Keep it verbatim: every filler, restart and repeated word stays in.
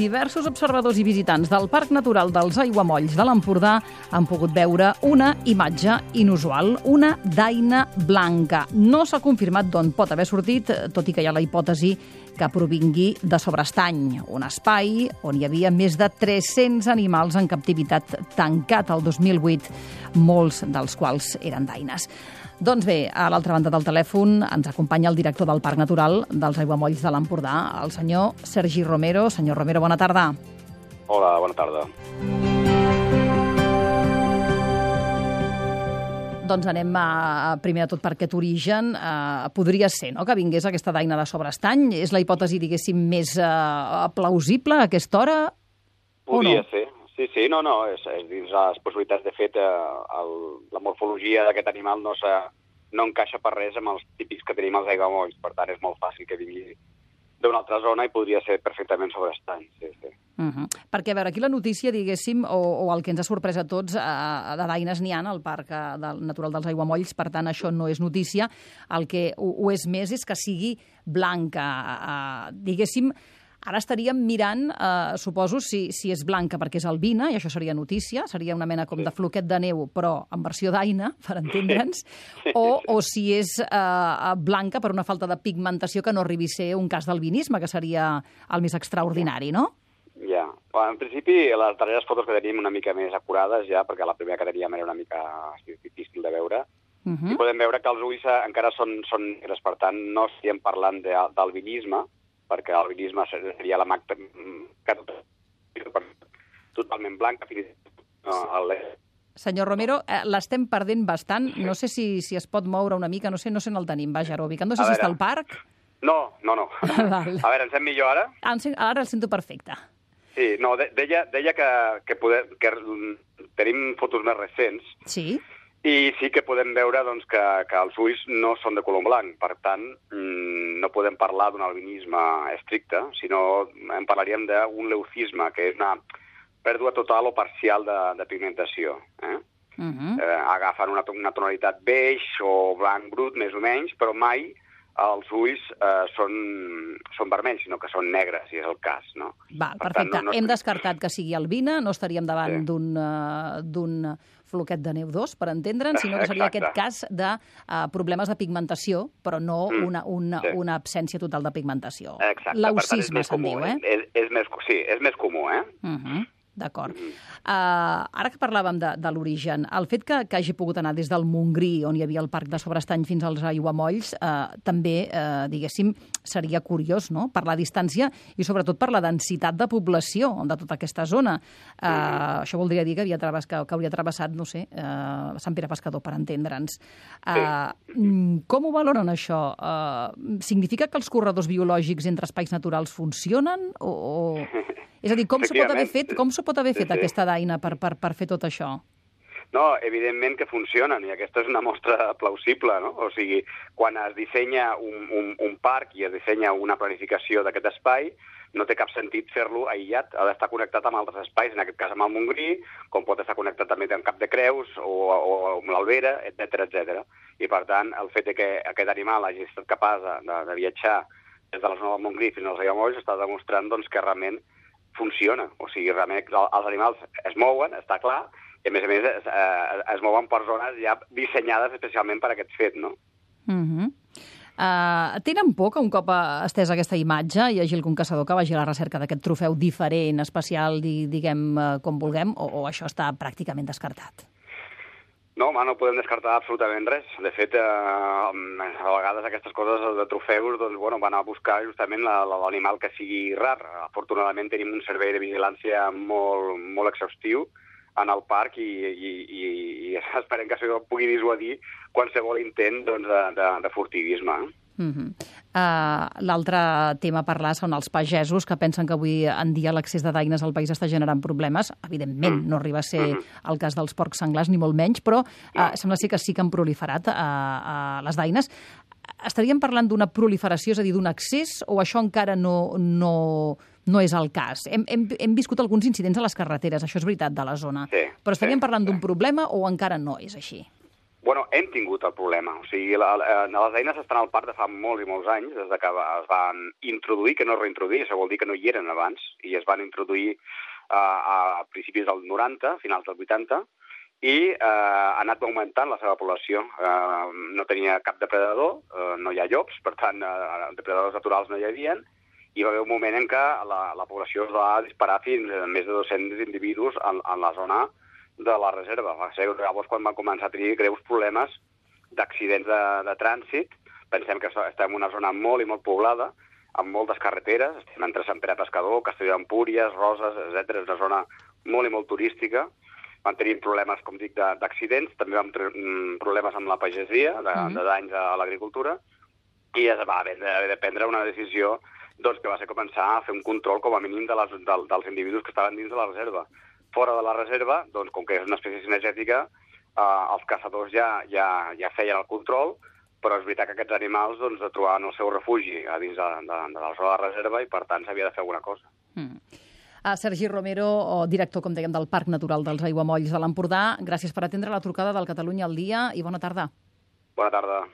Diversos observadors i visitants del Parc Natural dels Aiguamolls de l'Empordà han pogut veure una imatge inusual, una daina blanca. No s'ha confirmat d'on pot haver sortit, tot i que hi ha la hipòtesi que provingui de Sobrestany, un espai on hi havia més de tres-cents animals en captivitat tancat el dos mil vuit, molts dels quals eren daines. Doncs bé, a l'altra banda del telèfon ens acompanya el director del Parc Natural dels Aiguamolls de l'Empordà, el senyor Sergi Romero. Senyor Romero, bona tarda. Hola, bona tarda. Doncs anem a, primer de tot per aquest origen. Uh, podria ser, no?, que vingués aquesta daina de Sobrestany. És la hipòtesi, diguéssim, més uh, plausible a aquesta hora? Podria no? ser. Sí, sí, no, no, és, és dins les possibilitats. De fet, eh, el, la morfologia d'aquest animal no, no encaixa per res amb els típics que tenim als aiguamolls, per tant és molt fàcil que vingui d'una altra zona i podria ser perfectament Sobrestany, sí, sí. Uh -huh. Perquè, a veure, aquí la notícia, diguéssim, o, o el que ens ha sorprès a tots, eh, de daines n'hi ha al Parc del Natural dels Aiguamolls, per tant, això no és notícia. El que ho, ho és més és que sigui blanca, eh, diguéssim. Ara estaríem mirant, eh, suposo, si, si és blanca perquè és albina, i això seria notícia, seria una mena com Sí. de floquet de neu, però en versió daina, per entendre'ns, Sí. o, o si és eh, blanca per una falta de pigmentació que no arribi a ser un cas d'albinisme, que seria el més extraordinari, no? Ja. Bueno, en principi, les darreres fotos que tenim una mica més acurades ja, perquè la primera que teníem era una mica difícil de veure, Uh -huh. i podem veure que els ulls encara són, són negres, per tant, no estem parlant d'albinisme, perquè l'albinisme seria la magta que totalment blanca. No, Senyor Romero, eh, l'estem perdent bastant. No sé si, si es pot moure una mica, no sé, no sé on el tenim. Vaja, ara ubicant. No sé A si veure. està al parc. No, no, no. Val. A veure, ens sent millor ara? Ah, ara el sento perfecte. Sí, no, de, deia, deia que, que, poder, que tenim fotos més recents. Sí? I sí que podem veure doncs, que, que els ulls no són de color blanc. Per tant, no podem parlar d'un albinisme estricte, sinó en parlaríem d'un leucisme, que és una pèrdua total o parcial de, de pigmentació. Eh? Uh -huh. eh, agafen una, una tonalitat beix o blanc brut, més o menys, però mai els ulls eh, són, són vermells, sinó que són negres, si és el cas. No? Val, per perfecte. tant, no, no... Hem descartat que sigui albina, no estaríem davant Sí. d'un uh, d'un floquet de neu dos, per entendre'ns, sinó que seria Exacte. aquest cas de uh, problemes de pigmentació, però no Mm, una, una, sí. una absència total de pigmentació. Exacte. Leucisme, se'n comú, diu, eh? És, és més, sí, és més comú, eh? Uh -huh. D'acord. Uh, ara que parlàvem de, de l'origen, el fet que, que hagi pogut anar des del Montgrí, on hi havia el Parc de Sobrestany, fins als Aiguamolls, uh, també, uh, diguéssim, seria curiós, no?, per la distància i sobretot per la densitat de població de tota aquesta zona. Uh, mm. Això voldria dir que, havia travess, que, que hauria travessat, no sé, uh, Sant Pere Pescador, per entendre'ns. Uh, sí. Com ho valoren, això? Uh, significa que els corredors biològics entre espais naturals funcionen? O... o... És a dir, com s'ho pot haver fet, com s'ho pot haver fet sí, sí. aquesta daina per, per, per fer tot això? No, evidentment que funcionen, i aquesta és una mostra plausible, no? O sigui, quan es dissenya un, un, un parc i es dissenya una planificació d'aquest espai, no té cap sentit fer-lo aïllat, ha d'estar connectat amb altres espais, en aquest cas amb el Montgrí, com pot estar connectat també amb Cap de Creus o, o amb l'Albera, etcètera, etcètera. I, per tant, el fet que aquest animal hagi estat capaç de, de, de viatjar des de la zona del Montgrí fins als Aiguamolls està demostrant doncs, que realment funciona. O sigui, realment els animals es mouen, està clar, i a més a més es, eh, es mouen per zones ja dissenyades especialment per aquest fet, no? Uh -huh. uh, tenen por que un cop estès aquesta imatge hi hagi algun caçador que vagi a la recerca d'aquest trofeu diferent, especial, diguem com vulguem, o, o això està pràcticament descartat? No, home, no podem descartar absolutament res. De fet, eh, a vegades aquestes coses de trofeus doncs, bueno, van a buscar justament l'animal que sigui rar. Afortunadament tenim un servei de vigilància molt, molt exhaustiu en el parc i, i, i, i esperem que això pugui dissuadir qualsevol intent doncs, de, de, de furtivisme. Uh -huh. uh, L'altre tema a parlar són els pagesos, que pensen que avui en dia l'accés de daines al país està generant problemes. Evidentment, mm. no arriba a ser mm -hmm. el cas dels porcs senglars, ni molt menys, però uh, no. sembla ser que sí que han proliferat uh, uh, les daines. Estaríem parlant d'una proliferació, és a dir, d'un accés, o això encara no, no, no és el cas? Hem, hem, hem viscut alguns incidents a les carreteres, això és veritat, de la zona. Sí, però estaríem sí, parlant sí. d'un problema o encara no és així? Bueno, hem tingut el problema. O sigui, la, la, les eines estan al parc de fa molts i molts anys, des de que es van introduir, que no reintroduir, això vol dir que no hi eren abans, i es van introduir uh, a principis del noranta, finals del vuitanta, i uh, ha anat augmentant la seva població. Uh, no tenia cap depredador, uh, no hi ha llops, per tant, uh, depredadors naturals no hi havia, i va haver un moment en què la, la població es va disparar fins a més de dos-cents individus en, en la zona de la reserva. Va ser llavors quan van començar a tenir greus problemes d'accidents de, de trànsit. Pensem que estem en una zona molt i molt poblada, amb moltes carreteres, estem entre Sant Pere Pescador, Castelló d'Empúries, Roses, etcètera. És una zona molt i molt turística. Van tenir problemes, com dic, d'accidents, també vam tenir problemes amb la pagesia, de, mm. de danys a l'agricultura, i es va haver de, haver de prendre una decisió doncs, que va ser començar a fer un control com a mínim de les, de, dels individus que estaven dins de la reserva. Fora de la reserva, doncs, com que és una espècie cinegètica, eh, els caçadors ja, ja, ja feien el control, però és veritat que aquests animals doncs, trobaven el seu refugi a dins de, de, de la zona de la reserva i, per tant, s'havia de fer alguna cosa. Mm. Uh, Sergi Romero, director, com dèiem, del Parc Natural dels Aiguamolls de l'Empordà, gràcies per atendre la trucada del Catalunya al Dia i bona tarda. Bona tarda.